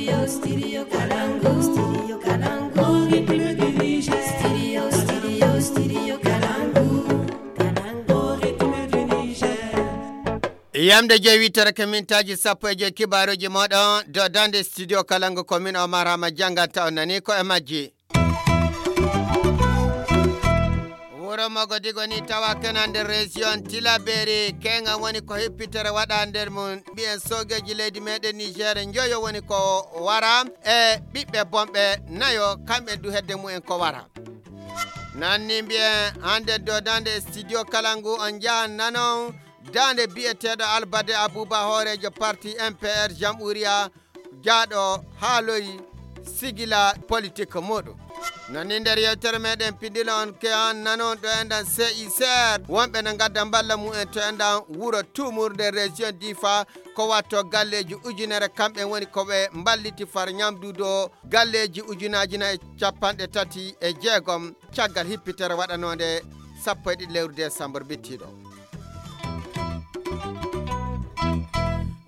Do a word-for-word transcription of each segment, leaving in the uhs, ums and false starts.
Studio Kalangu, Studio Kalangu, Studio, Studio, Studio Kalangu, Kalangu, Yamde jeewitere ko mintaaji sappo e joy kibaaruuji mooɗon, dodande studio Kalangu ko min Omar Hama jannganta on nani ko e majji. Wuro Mogodigo ni tawa kena nder région Tilaberi, kenga woni ko hippitere waɗa nder mum. Mbiyen soogeeji leydi meɗen Niger njoyo woni ko wara e ɓiɓɓe bonɓe nayo, kamɓe du hedde mumen ko wara. Nanni mbiyen hande dodande e studio Kalangu on njahan nanon dande biyeteeɗo Albade Abuba hooreejo parti M P R Jamhuriya jaaɗo haaloyi sigila politik muɗum. Nani nder yewtere meɗen pindilo on ke an nanon ɗo enɗan C I C R wonɓe no gadda mballa mumen to enɗan wuro Tumur nder région Difa ko watto galleji ujunere kamɓe woni ko ɓe mballiti far ñamdudo galleji ujunaji nayi e capanɗe tati e jeegom caggal hippitere waɗanode sappo e ɗiɗi lewru décembre bittiɗo.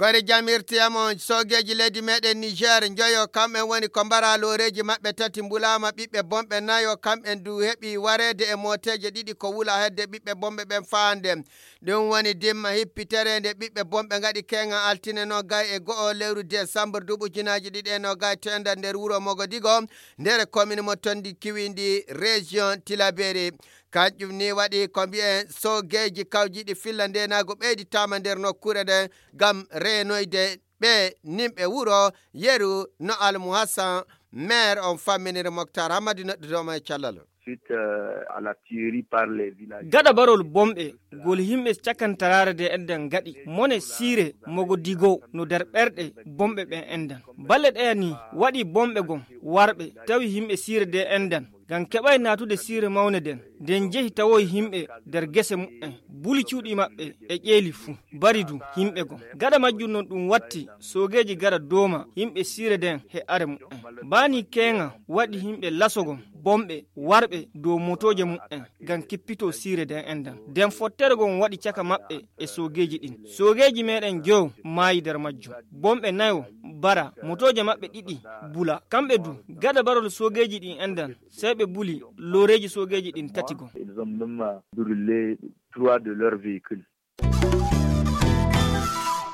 Kori jamirtiyam on soogeeji leydi meɗen Niger njoyo kamɓen woni ko mbara looreeji maɓɓe tati mbulaama ɓiɓɓe bonɓe nayo kamɓen du heɓi wareede e mooteeje ɗiɗi ko wula hedde ɓiɓɓe bonɓe ɓen faande. Ɗum woni dimma hippitere nde ɓiɓɓe bonɓe ngaɗi keenga altine no gay e go'o lewru décembre duuɓi ujunaaji ɗiɗi e no gay tenda nder wuro Mogodigo nder commune mo tondi kiwindi région Tilaberi. Kanƴum ni waɗi ko mbiyen soogeeji kawjiiɗi filla ndeenaagu ɓeyditaama nder nokkuure nden ngam reenoyde ɓe nimɓe wuro yeru no Almuhassan maire on famminiri Moktar Hammadi noɗɗude omo e callal. Suite euh, à la tuerie par les villages. Gaɗa barol bomɓe gol yimɓe cakantaraare de enɗan gaɗi mone siire mogo digo no nder ɓerɗe bomɓe ɓen enɗan balle ɗeya ni waɗi bomɓe gon warɓe tawi yimɓe siire de enɗan ngam keɓay naatude siire mawne nden nden jehi tawoy yimɓe nder gese muɓɓen buli cuuɗi maɓɓe e ƴeeli fuu bari du yimɓe gon gaɗa majjum non ɗum watti soogeeji gara dooma yimɓe siire nden he are muɓɓen baani keeŋa waɗi yimɓe lasogon bomɓe warɓe dow motooje muɓɓen ngam kippito siire nden enɗan nden fottere gon waɗi caka maɓɓe e soogeeji ɗin soogeeji meɗen jow maayi nder majjum bomɓe nayo bara motooje maɓɓe ɗiɗi bula kamɓe du gaɗa barol soogeeji ɗin enɗan sey ɓe buli looreeji soogeeji ɗin tati gon. Ils ont même brûlé trois de leurs véhicules.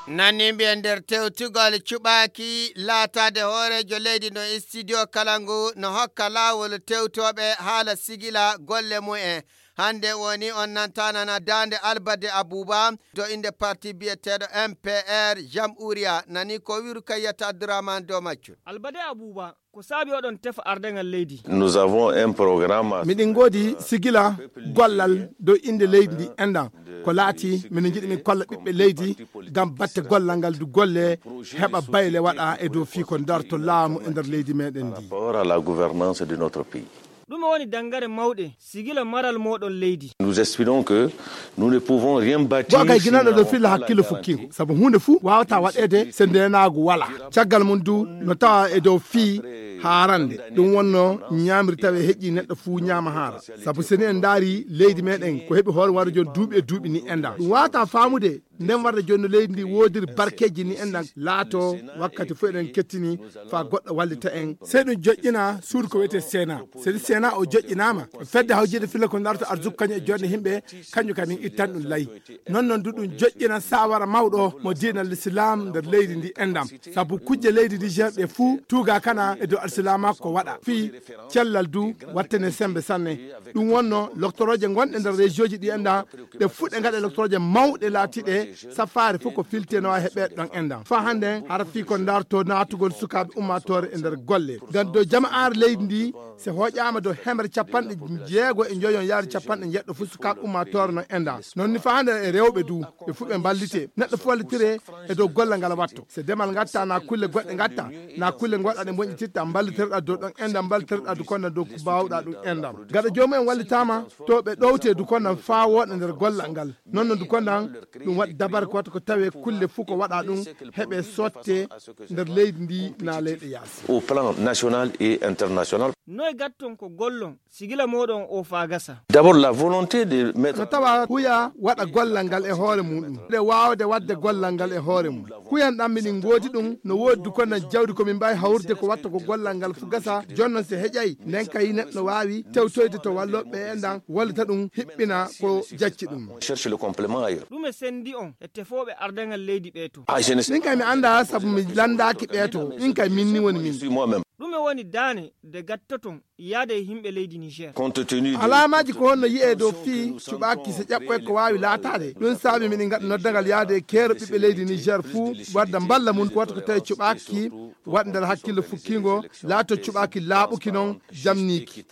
Nanni mbiyen nder tewtugol cuɓaaki laataade hooreejo leydi no studio kala ngu no hokka laawol tewtooɓe haala sigila golle mumen. Hannde woni on nantanana daande Albade Abuba to innde parti biyeteeɗo M P R Jamhuriya nani ko wiru kayyata Abdourahmane Dow Maccu. Albade Abuba ko saabi oɗon tefa ardaŋal leydi. Nous avons un programme. Miɗen ngoodi sigila gollal dow innde leydi ndi enɗan ko laati mino njiɗi min kolla ɓiɓɓe leydi ngam batte gollal ngal du golle heɓa bayle waɗa e dow fii ko darto laamu e nder leydi meɗen ndi. Par rapport à la gouvernance de notre pays. Ɗume woni dangare mawɗe sigila maral moɗon leydi? Nous espérons que nous ne pouvons rien bâtir. Bo kay ginanɗo ɗo filla hakkille fukkingo sabu hunde fuu wawata waɗede se ndenaagu wala caggal mum du no tawa e dow fii haarande ɗum wonno ñaamri tawi e heƴƴi neɗɗo fuu ñaama haara sabu seni en ndaari leydi meɗen ko heɓi hoore waro jon duuɓi e duuɓi ni enɗan ɗum wawata faamude nden warde joni no leydi ndi woodiri barkeeji ni enɗan laato wakkati fof eɗen kettini faa goɗɗo wallita en sey ɗum joƴƴina suudu ko wiyetee sena seni sena o joƴƴinaama fedde hawjiide filla ko darto arsuka kañum e jonde yimɓe kañum kadi min ittan ɗum layi non non du ɗum joƴƴina saawara mawɗo mo diina l'islam nder leydi ndi enɗan sabu kujje leydi ndi gerɗe fuu tuuga kana e dow alsilaama ko waɗa fii cellal du wattane sembe sanne ɗum wonno loktorooje gonɗe nder région ji ɗi enɗan ɗe fuɗɗe ngaɗa électroje mawɗe laatiɗe safaare fof ko filteno e heɓeede ɗon enɗan fa hannden hara fii ko darto naatugol sukaaɓe ummaatoore e nder golle ngam dow jama'aare leydi ndi se hoƴaama dow hemre capanɗe jeego e njoyon yaari capanɗe njeɗɗo fof sukaaɓe ummaatoore no enɗan non ni fa hannden e rewɓe du ɓe fof ɓe mballite neɗɗo fof wallitire e dow golle ngal watto se demal ngatta na kulle goɗɗe ngatta na kulle ngoɗɗa ɗe moƴƴititta mballiterɗa dow ɗon enɗan mballiterɗa du konda dow ko mbawɗa ɗum enɗan gaɗa joomum en wallitaama to ɓe ɗowte du kondan faa wooɗa nder gollal ngal non no du kondan ɗum waɗi dabare ko watta ko tawe kulle fuu ko waɗa ɗum heɓe sotte nder leydi ndi na leyɗe yaasi. Au plan national et international. Noy gatton ko gollon sigila mooɗon o faa gasa? D'abord, la volonté de mettre no tawa huya waɗa gollal ngal e hoore muɗum, nde waawde waɗde gollal ngal e hoore mum. Kuyan ɗan miɗen ngoodi ɗum, no woodi du kono jawdi ko min mbaawi hawrude ko watta ko gollal ngal fu gasa. Jooni noon, so heƴay, nden kay neɗɗo waawi tewtoyde to wallooɓe e ndan, wallita ɗum hiɓɓina ko jacci ɗum. Cherche le complément ailleurs. Ɗume senndi on e tefooɓe ardangal leydi ɓee to? Ah, je ne sais Min kay mi anndaa, sabu mi lanndaaki ɓee to. Min kay min ni woni min. Moi-même. Ɗume woni daane de gattoton yaade e yimɓe leydi Niger? Compte tenu de alaamaaji ko honno yi'ee dow fii cuɓaaki so ƴaɓɓoy ko waawi laataade? Ɗum saabi miɗen ngaɗa noddagal yaade e keero ɓiɓɓe leydi Niger fuu, wadda mballa mum, wata ko tawi cuɓaaki waɗ nder hakkille fukkiingo, laato cuɓaaki laaɓuki noon, jamniiki.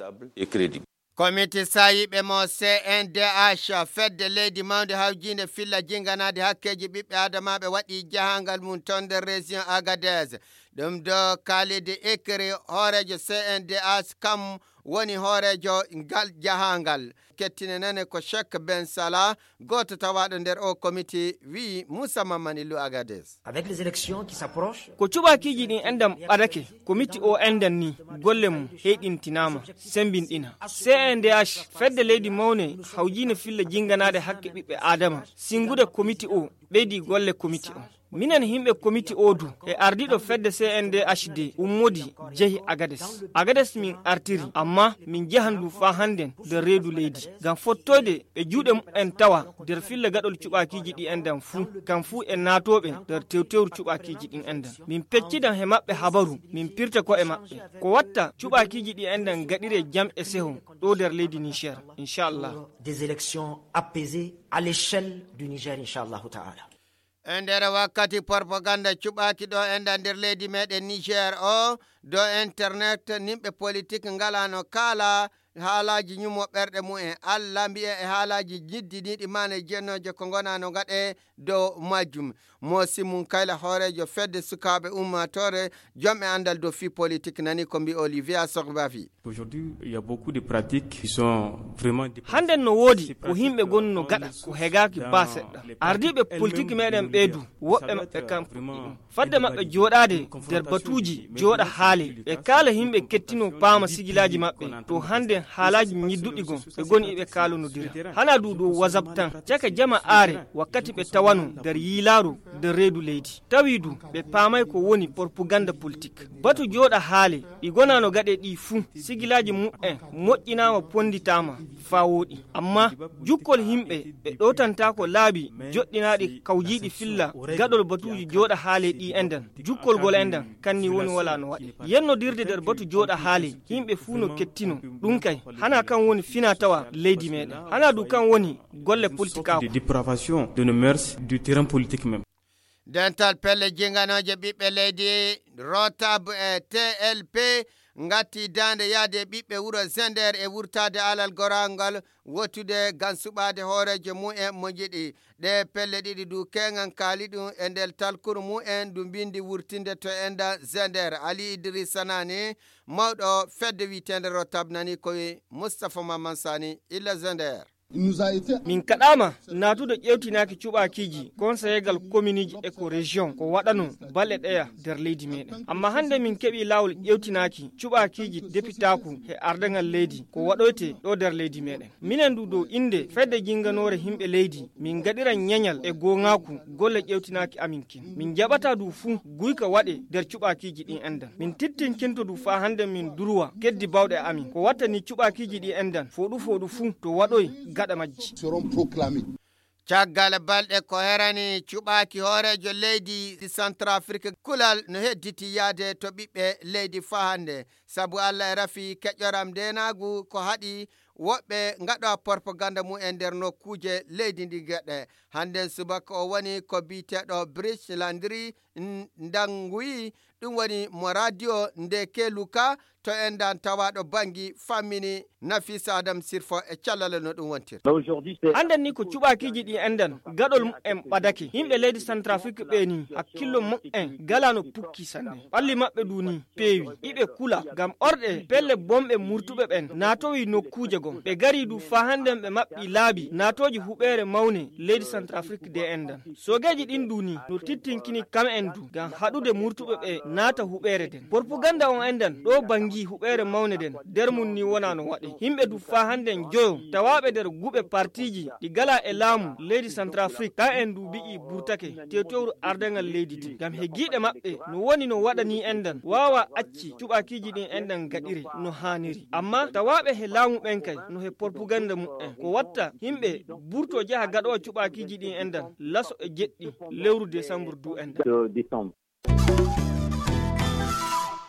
Komiti saayiiɓe mo C N D H, fedde leydi mawnde hawjiinde filla jinganaade hakkeeji ɓiɓɓe aadamaaɓe, waɗi jahaangal mum toon nder région Agadez. Ɗum do Khalid Ikri, hooreejo C N D H, kam woni hooreejo ngal jahaangal. Kettine nane ko Cheikh Ben Salah, gooto tawaaɗo nder o komiti, wi'i Moussa Mamani Lou Agadez. Avec les élections qui s'approchent, ko cuɓaakiiji ɗin enɗan ɓadake, komiti o enɗan ni golle mum heyɗintinaama, sembinɗina. C N D H, fedde leydi mawne hawjiine filla jinganaade hakke ɓiɓɓe Aadama, singude komiti o, ɓeydi golle komiti o. Minen yimɓe komiti o du, e ardiiɗo fedde C N D H D ummodi jehi Agades. Agades min artiri, amma min jehan du faa hannden nder reedu leydi. Ngam fottoyde ɓe juuɗe mumen tawa nder filla gaɗol cuɓaakiiji ɗi enɗan fuu, kam fuu e naatooɓe nder tewtewru cuɓaakiiji ɗin enɗan. Min peccidan he maɓɓe habaru, min pirta ko e maɓɓe. Ko watta cuɓaakiiji ɗi enɗan gaɗiree jam e seho ɗo nder leydi Niger, inchallah. Des élections apaisées à l'échelle du Niger, inchallah ta'ala. E nder wakkati propaganda cuɓaaki ɗo enɗan nder leydi meɗen Niger o, do internet, nimɓe politik ngalano kaala haalaaji ñumo ɓerɗe mumen. Allah mbi'e e haalaaji ñiddiniiɗi maane jennooje ko ngonano ngaɗe dow majjum. Mo Simon Kayla, hooreejo fedde sukaaɓe ummaatoore, jom e anndal dow fii politik, nani ko mbi Olivia Sogbafi. Aujourd'hui, il y a beaucoup de pratiques qui sont vraiment déplacées. Hannden no woodi ko yimɓe gonno gaɗa ko hegaaki baa seɗɗa. Ardiiɓe politik meɗen ɓee du, woɓɓe maɓɓe kam fadde maɓɓe jooɗaade nder batuuji jooɗa haale, ɓe kaala yimɓe kettinoo paama sigilaaji maɓɓe, to hannden haalaaji ñidduɗi gon ɓe goni iɓe kaalonodira. Hana du dow WhatsApp tan, caka jama aare wakkati ɓe tawano nder yiilaaru nder reedu leydi. Tawi du ɓe paamay ko woni propaganda politik. Batu jooɗa haale ɗi gonano gaɗe ɗi fuu, sigilaaji mumen moƴƴinaama, ponnditaama faa wooɗi. Amma jukkol yimɓe ɓe ɗowtantaako laabi joɗɗinaaɗi kawjiiɗi filla gaɗol batuuji jooɗa haale ɗi enɗan. Jukkol gol enɗan kanni woni wala no waɗe. Yennodirde nder batu jooɗa haale, yimɓe fuu no kettino. Ɗum kay, hana kan woni fina tawa leydi meɗen. Hana du kan woni golle politikaaku. De dépravation de nos mœurs, du terrain politique même. Dental pelle jinganooje ɓiɓɓe leydi, Rotab e T L P, ngatti daande yaade ɓiɓɓe wuro Zender e wurtaade alal gorangal wottude ngam suɓaade hooreejo mumen mo njiɗi. Ɗe pelle ɗiɗi du keŋan kaali ɗum e nder talkuru mumen ndu mbindi wurtinde to enda Zender. Ali Idrissa Nani, mawɗo fedde wi'eteende Rotab, nani ko wi Moustapha Mamman Sani illa Zender. Min kaɗaama naatude ƴeewtinaaki cuɓaakiiji konseyeegal kominiiji e ko rejiyoŋ ko waɗanoo balɗe ɗeya nder leydi meɗen. Amma hannde min keɓii laawol ƴeewtinaaki cuɓaakiiji depitaaku e ardaŋal leydi ko waɗoytee ɗo nder leydi meɗen. Minen du dow innde fedde jinnganoore yimɓe leydi, min ngaɗiran ñeñal e gooŋaaku golle ƴeewtinaaki amin kin. Min jaɓataa du fuu guyka waɗee nder cuɓaakiiji ɗin enɗan. Min tittinkinto du faa hannde min durwa keddi bawɗe amin. Ko wattani cuɓaakiiji ɗi enɗan fooɗu fooɗu fuu to waɗoy gaɗa majji. Caggal balɗe ko herani cuɓaaki hooreejo leydi Centrafrique kulal no hedditi yaade to ɓiɓɓe leydi faa hannde. Sabu Allah e rafi keƴoram ndeenaagu ko haɗi woɓɓe ngaɗa propaganda mumen nder nokkuuje leydi ndi geɗe. Hannden subaka o woni ko biyeteeɗo Brice Landry N-, Ndangui, ɗum woni mo radio nde Keluka to enɗan tawaaɗo Bangui fammini Nafisa Adam Sirfo e callale no ɗum wontiri. Annden ni ko cuɓaakiiji ɗi enɗan gaɗol mumen ɓadake. Yimɓe leydi Centrafrique ɓe ni hakkillo mumen galano pukki sanne. Ɓalli maɓɓe du ni peewi. Iɓe kula ngam orɗe pelle bomɓe murtuɓe ɓen naatowi nokkuuje gon. Ɓe gari du faa hannden ɓe maɓɓi laabi naatooji huɓeere mawne leydi Centrafrique de enɗan. Soogeeji ɗin du ni no tittinkini kam en du ngam haɗude murtuɓe ɓe naata huɓeere nden. Propaganda on endan ɗo bangi huɓeere mawne nden, nder mum ni wona no waɗe. Yimɓe du faa hannden joyo tawaaɓe nder guɓe partiiji ɗi gala e laamu leydi Centrafrique, ka en du mbi'i burtake te tewru ardangal leydi din. Ngam he giiɗe maɓɓe no woni no waɗani endan waawa acci cuɓaakiiji ɗin endan gaɗire no haaniri. Amma tawaaɓe he laamu ɓen kay no he propaganda mu'en. Ko watta yimɓe burto jaha gaɗowa cuɓaakiiji ɗin endan laso e jeɗɗi lewru desambur du endan.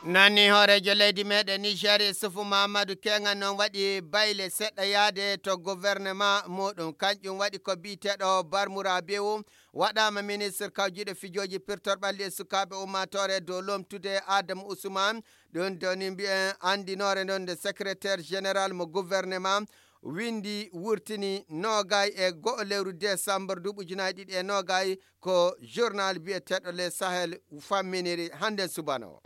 Nani hooreejo leydi meɗen Niger, Isufu Mahamadou Kenga, noon waɗi bayle seɗɗa yaade to gouvernement muɗum. Kanƴum waɗi ko biyeteeɗo Barmura Bewu waɗaama ministre kawjiiɗo fijooji pirtorɗi ɓalli e sukaaɓe ummaatoore dow lomtude Adamu Usman. Ɗum doni mbiyen anndinoore noon nde secrétaire général mo gouvernement windi wurtini noogay e go'o lewru desambur duuɓi ujunaaji ɗiɗi e noogay. Ko journal biyeteeɗo Le Sahel famminiri hannden subano.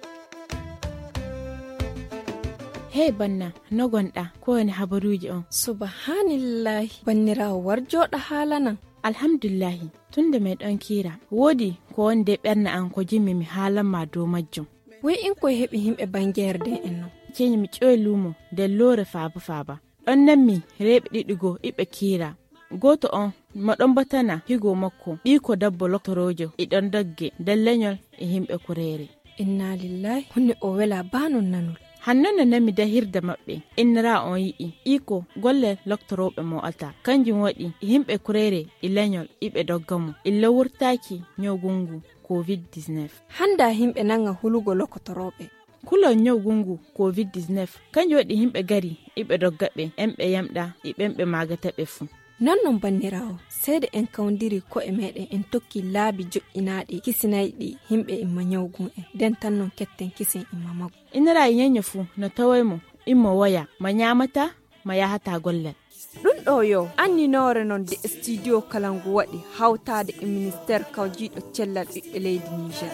Hey banna, no gonɗa? Ko woni habaruuji on? Subhanillahi, banniraawo, war jooɗa haalanan. Alhamdulillahi, tun nde meɗon kiira, woodi ko woni de ɓernde an ko jimmi mi haalan ma dow majjum. Woy in koye heɓi yimɓe bangeere den en non? Ceeni mi ƴoy luumo nder loore faaba faaba. Ɗon nanmi rewɓe ɗiɗi goo iɓe kiira. Gooto on mo ɗon batana higo makko, ɓiiko dabbo loktoroojo, e ɗon dogge nder leñol e yimɓe kureere. Inna lillahi, honno o wela baa non nanol? Hanno no nanmi dahirde maɓɓe, innira on yi'i iko golle loktorooɓe mo ata. Kanjum waɗi yimɓe kureere e leñol iɓe dogga mo. Illa wurtaaki ñawgu ngu covid dix-neuf. Hannda yimɓe nanga hulugo loktorooɓe. Kulol ñawgu ngu covid dix-neuf, kanjum waɗi yimɓe gari iɓe dogga ɓe, en ɓe yamɗa e ɓen ɓe maagata ɓe fuu. Non non banniraawo, seede en kawndiri ko'e meɗen en tokki laabi joƴƴinaaɗi kisinayɗi yimɓe imma ñawgu en, den tan non ketten kisen imma maggu. Innira e ñeño fuu no taway mo, immo woya, ma ñaamata, ma yahata gollal. Ɗum ɗo yo anninoore non de studio Kalangu waɗi hawtaade e ministère kawjiiɗo cellal ɓiɓɓe leydi Niger.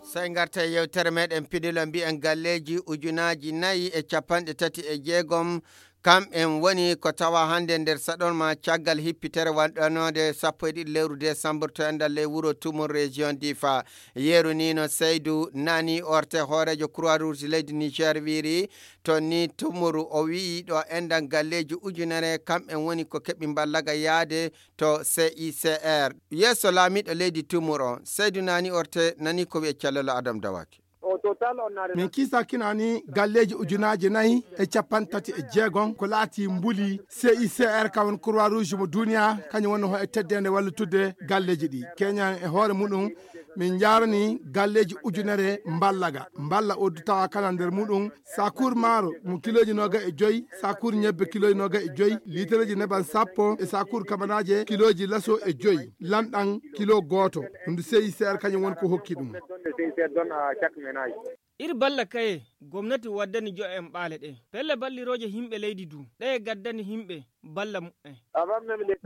Sey ngarta e yewtere meɗen pidilo mbiyen galleeji ujunaaji nayi e capanɗe tati e jeegom. Kam en woni ko tawa hannde nder saɗon ma caggal hippitere waɗanoode sappo e ɗiɗi lewru desambur to enɗal ley wuro Tumur région Difa. Yeru ni no Seydu Nani Orte hooreejo Croix Rouge leydi Niger wiiri to ni Tumur o wi'i ɗo enɗan galleeji ujunere kam en woni ko keɓi mballaga yaade to C I C R. Yeeso laamiiɗo leydi Tumur o, Seydu Nani Orte nani ko wi'e Callelo Adam Dawaki. Min kiisa kinani galleeji ujunaaji nayi e capanɗe tati e jeegom ko laati mbuli C I C R ka woni Croix Rouge mo duniya, kañum woni ho e teddende wallitude galleeji ɗi. Keñan e hoore muɗum, min njaarani galleeji ujunere mballaga. Mballa o du tawa kana nder muɗum sakuur maaro mo kilooji noga e joyi, sakuur ñebbe kilooji noga e joyi, liitereeji neban sappo e sakuur kabanaaje kilooji laso e joyi, lanɗan kilo gooto. Ɗum du C I C R kañum woni ko hokki ɗum. Ir balla kaye gomnati waddani jo'en ɓaale ɗe. Pelle ballirooje himɓe leydi du, ɗeye gaddani himɓe balla mu'en.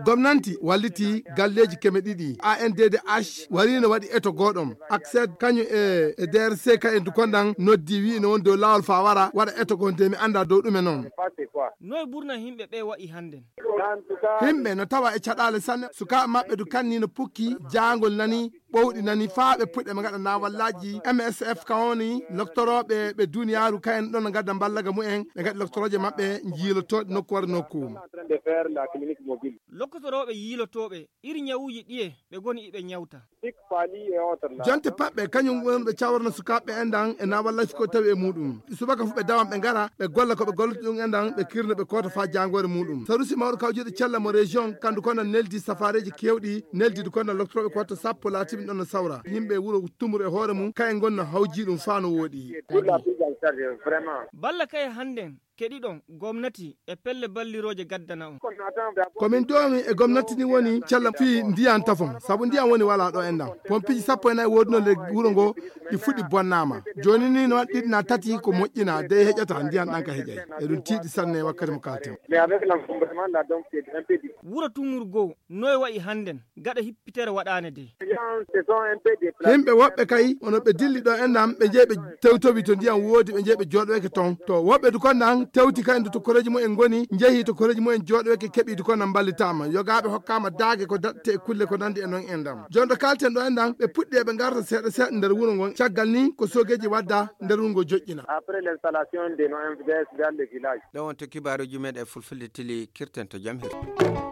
Gomnanti walliti galleeji keme ɗiɗi. A N D D H wariino waɗi eto gooɗom. Acced kañum e, e D R C ka en du kondan noddi wi'i no woni dow laawol faa wara waɗa eto goo nde mi anndaa dow ɗume noon. Noy burna himɓe ɓe wa'i hannden? Himɓe no tawa e caɗaale sanne. Sukaaɓe maɓɓe du kanni no pukki, jaangol nani, ɓowɗi nani faa ɓe puɗɗe ɓe ngaɗa naawallaaji M S F ka woni loktorooɓe ɓe duniyaaru kayen ɗon no ngadda mballaga mu'en, ɓe ngaɗi loktorooje maɓɓe njiilotooɗe nokku wara nokku. Lokkotorooɓe yiilotooɓe iri ñawuuji ɗiye ɓe ngoni iɓe ñawta. Jonte paɓɓe kañum woni ɓe cawarno sukaaɓe enɗan e naawallaaji ko tawi e muɗum. Subaka fu ɓe dawan ɓe ngara, ɓe golla ko ɓe gollata ɗum enɗan, ɓe kirna ɓe koota faa jaangoore muɗum. Sarusi mawɗo kawjuuɗo cella mo région, kandu kono neldi safaareeji keewɗi, neldi du kono loktorooɓe koota sappo laatiɓe ɗon no sawra. Yimɓe wuro Tumur e hoore mum, kayen ngon no hawji ɗum faa no wooɗi. Balla kaye hannden keɗiɗon gomnati e pelle ballirooje gaddana on. Ko min doomi e gomnati ni woni cella fii ndiyan tafon, sabu ndiyan woni walaa ɗo enɗan. Pompiji sappo e nayi woodunoo nder wuro ngo, ɗi fuɗi bonnaama. Jooni ni no waɗi ɗiɗi naa tati ko moƴƴinaa, dey heƴata ndiyan ɗan ka heƴay. Eɗum tiiɗi sanne wakkati mo kalten. Wuro Tumur goo, noy wa'i hannden? Gaɗa hippitere waɗaane de. Yimɓe woɓɓe kay, ono ɓe dilli ɗo enɗan, ɓe jeyi ɓe tewtowi to ndiyan woodi, ɓe jeyi ɓe jooɗoyke ton. To woɓɓe du kondan, Tewti kadi to koreeji mumen ngoni, njehi to koreeji mumen jooɗoyke keɓiiɗi kono mballitaama. Yogaaɓe hokkaama daage ko daɗte e kulle ko nanndi e noon en ɗam. Jooni ɗo kaalten ɗo en ɗam, ɓe puɗɗi eɓe ngarta seeɗa seeɗa nder wuro ngon. Caggal ni ko soogeeji wadda nder wuro ngo joƴƴina. Après l'installation de nos M V D S dans le village. Ɗo wonto kibaaruuji men e fulfulde tili kirten to jam hirde.